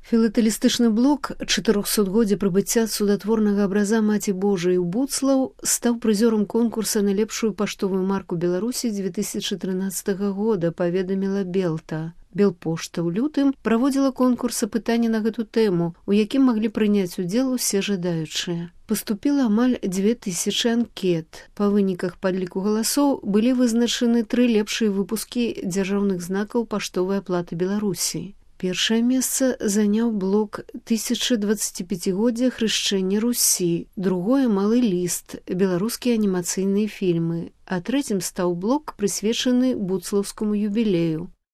Філатэлістычны блок 400годдзя прыбыцця цудатворнага абраза Маці Божай у Буцлаў стаў прызёрам конкурса на лепшую паштовую марку Беларусі 2013 года, паведаміла Белта. Белпошта ў лютым праводзіла конкурс апытання на гэту тэму, у якім маглі прыняць удзел усе жадаючыя. Паступіла амаль 2000 анкет. Па выніках падліку галасоў былі вызначаны 3 лепшыя выпускі дзяржаўных знакаў паштовай аплаты Беларусі. Першае месца заняў блок 1025годдзя хрышчэння Русі, другое малы ліст, беларускія анімацыйныя фільмы, а трэцім стаў блок, прысвечаны буцлаўскаму юбілею.